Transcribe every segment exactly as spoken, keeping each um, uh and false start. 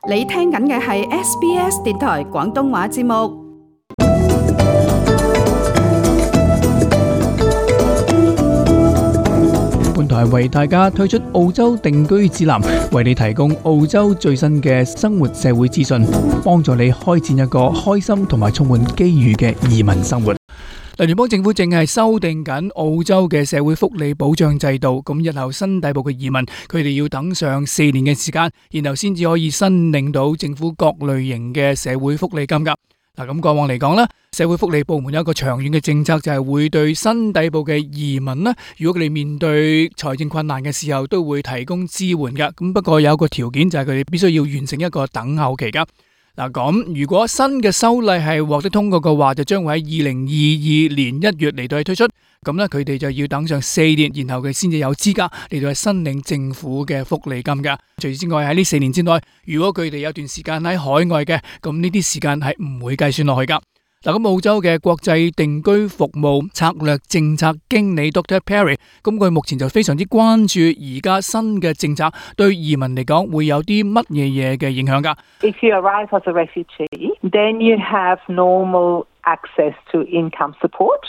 你聽緊嘅係 S B S 電台廣東話節目。本台為大家推出澳洲定居指南，為你提供澳洲最新嘅生活社會資訊，幫助你開展一個開心同埋充滿機遇嘅移民生活。聯邦政府正係修訂緊澳洲嘅社會福利保障制度，咁日後新抵埗嘅移民，佢哋要等上四年嘅時間，然後先至可以申領到政府各類型嘅社會福利金噶。嗱，咁過往嚟講咧，社會福利部門有一個長遠嘅政策，就係會對新抵埗嘅移民咧，如果佢哋面對財政困難嘅時候，都會提供支援噶。咁不過有一個條件，就係佢哋必須要完成一個等候期噶。嗱，咁如果新嘅修例係獲得通過嘅話，就將會喺二零二二年一月嚟到去推出。咁咧，佢哋就要等上四年，然後佢先至有資格嚟到去申領政府嘅福利金噶。除此之外，喺呢四年之內，如果佢哋有段時間喺海外嘅，咁呢啲時間係唔會計算落去噶。嗱，咁澳洲嘅國際定居服務策略政策經理 Doctor Perry， 咁佢目前就非常之關注而家新嘅政策對移民嚟講會有啲乜嘢嘢嘅影響噶。If you arrive as a refugee, then you have normal access to income support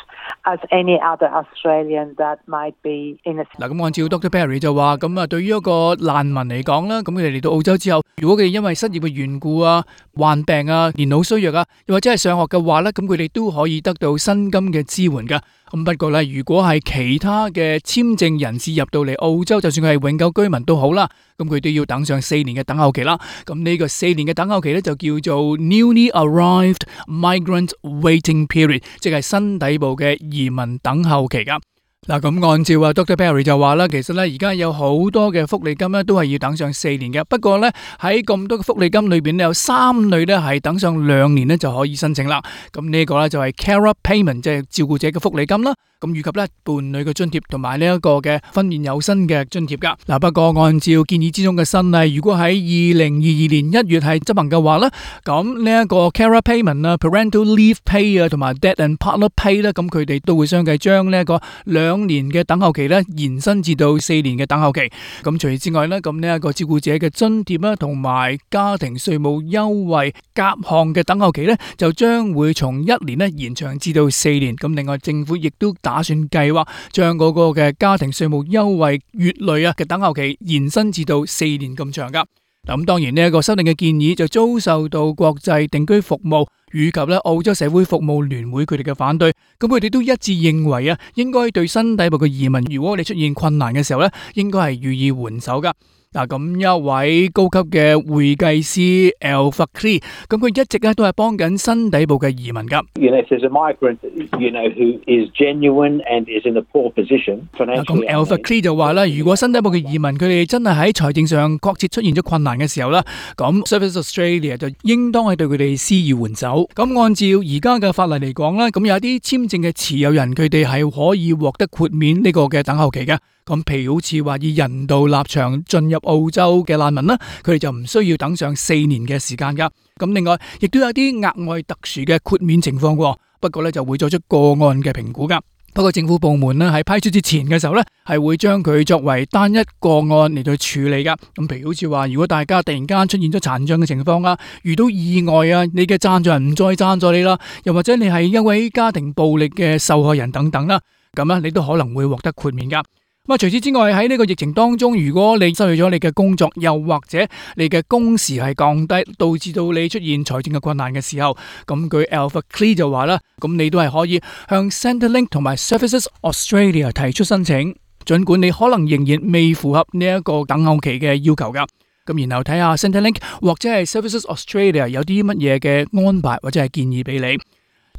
as any other Australian that might be in a... 嗱，咁按照 Doctor Perry 就話，咁啊，對於一個難民嚟講啦，咁佢哋嚟到澳洲之後，如果佢哋因為失業嘅緣故啊、患病啊、年老衰弱啊，又或者係上學嘅話咧，咁佢哋都可以得到薪金嘅支援噶。咁不過咧，如果係其他嘅簽證人士入到嚟澳洲，就算佢係永久居民都好啦，咁佢都要等上四年嘅等候期啦。咁呢個四年嘅等候期咧就叫做 Newly Arrived Migrant Waiting Period， 即係新抵埗嘅移民等候期噶。嗱，咁按照啊 Doctor Perry 就話啦，其實咧而家有好多嘅福利金咧都係要等上四年嘅。不過咧喺咁多嘅福利金裏邊咧有三類咧係等上兩年咧就可以申請啦。咁呢個咧就係 Carer Payment， 即係照顧者嘅福利金啦。咁以及咧伴侶嘅津貼同埋呢一個嘅婚宴有薪嘅津貼噶。嗱，不過按照建議之中嘅新例，如果喺二零二二年一月係執行嘅話咧，咁呢一個 Carer Payment 啊、Parental Leave Pay 啊同埋 Dad and Partner Pay 咧，咁佢哋都會相繼將呢一個兩年嘅等候期咧延伸至到四年嘅等候期。咁除此之外咧，咁呢一個照顧者嘅津貼啦同埋家庭稅務優惠夾項嘅等候期咧，就將會從一年咧延長至到四年。咁另外政府亦都打算計劃將嗰個嘅家庭稅務優惠月類啊嘅等候期延伸至到四年咁長噶。咁當然呢一個修訂嘅建議就遭受到國際定居服務以及咧澳洲社會服務聯會佢哋嘅反對。咁佢哋都一致認為啊，應該對新抵埗嘅移民，如果你出現困難嘅時候咧，應該係予以援手噶。嗱，咁一位高級嘅會計師 Al Fakri， 咁佢一直咧都係幫緊新抵埗嘅移民噶。You know, if there's a migrant, you know, who is genuine and is in a poor position financially. 咁 Al Fakri 就話啦，如果新抵埗嘅移民佢哋真係喺財政上確切出現咗困難嘅時候啦，咁 Services Australia 就應當係對佢哋施以援手。咁按照而家嘅法例嚟講咧，咁有啲簽證嘅持有人佢哋係可以獲得豁免呢個嘅等候期嘅。咁譬如好似話以人道立場進入澳洲嘅難民啦，佢哋就唔需要等上四年嘅時間噶。咁另外亦都有啲額外特殊嘅豁免情況喎，不過咧就會作出個案嘅評估噶。不過政府部門咧喺批出之前嘅時候咧，係會將佢作為單一個案嚟到處理噶。咁譬如好似話，如果大家突然間出現咗殘障嘅情況啊，遇到意外啊，你嘅贊助人唔再贊助你啦，又或者你係一位家庭暴力嘅受害人等等啦，咁咧你都可能會獲得豁免噶。咁啊，除此之外喺呢個疫情當中，如果你失去咗你嘅工作，又或者你嘅工時係降低，導致到你出現財政嘅困難嘅時候，咁據 Al Fakri 就話啦，咁你都係可以向 Centrelink 同埋 Services Australia 提出申請，盡管你可能仍然未符合呢一個等候期嘅要求噶。咁然後睇下 Centrelink 或者係 Services Australia 有啲乜嘢嘅安排或者係建議俾你。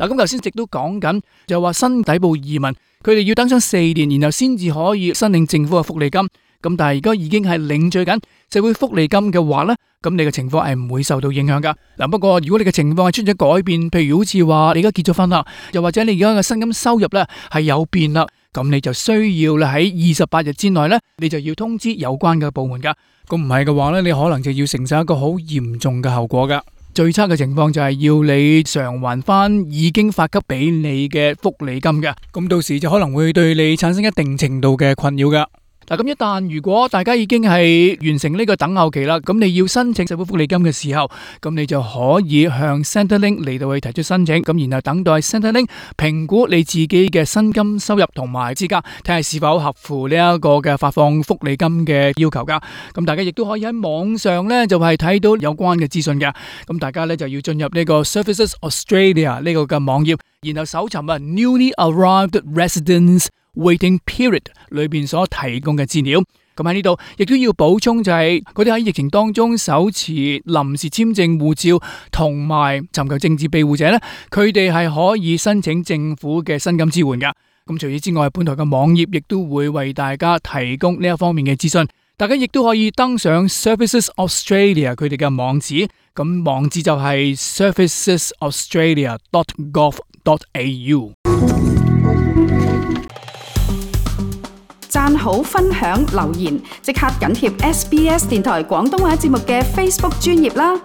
嗱，咁頭先直都講緊，就話新抵埗移民，佢哋要等上四年，然後先至可以申領政府嘅福利金。咁但係而家已經係領取緊社會福利金嘅話咧，咁你嘅情況係唔會受到影響噶。嗱，不過如果你嘅情況係出咗改變，譬如好似話你而家結咗婚啦，又或者你而家嘅薪金收入咧係有變啦，咁你就需要啦喺二十八日之內咧，你就要通知有關嘅部門噶。咁唔係嘅話咧，你可能就要承受一個好嚴重嘅後果噶。最差嘅情況就係要你償還翻已經發給俾你嘅福利金嘅，咁到時就可能會對你產生一定程度嘅困擾噶。嗱，咁一旦如果大家已經係完成呢個等候期啦，咁你要申請社會福利金嘅時候，咁你就可以向 Centrelink 嚟到去提出申請，咁然後等待 Centrelink 評估你自己嘅薪金收入同埋資格，睇下是否合乎呢一個嘅發放福利金嘅要求噶。咁大家亦都可以喺網上咧就係睇到有關嘅資訊嘅。咁大家咧就要進入呢個 Services Australia 呢個嘅網頁，然後搜尋啊 Newly Arrived Residents Waiting Period 裏邊所提供嘅資料。咁喺呢度亦都要補充就係嗰啲喺疫情當中手持臨時簽證護照同埋尋求政治庇護者咧，佢哋係可以申請政府嘅薪金支援噶。咁除此之外，本台嘅網頁亦都會為大家提供呢一方面嘅資訊。大家亦都可以登上 Services Australia 佢哋嘅網址，咁網址就係 services australia dot gov dot a u。讚好、分享、留言，即刻緊貼 S B S 電台廣東話節目嘅 Facebook 專頁啦！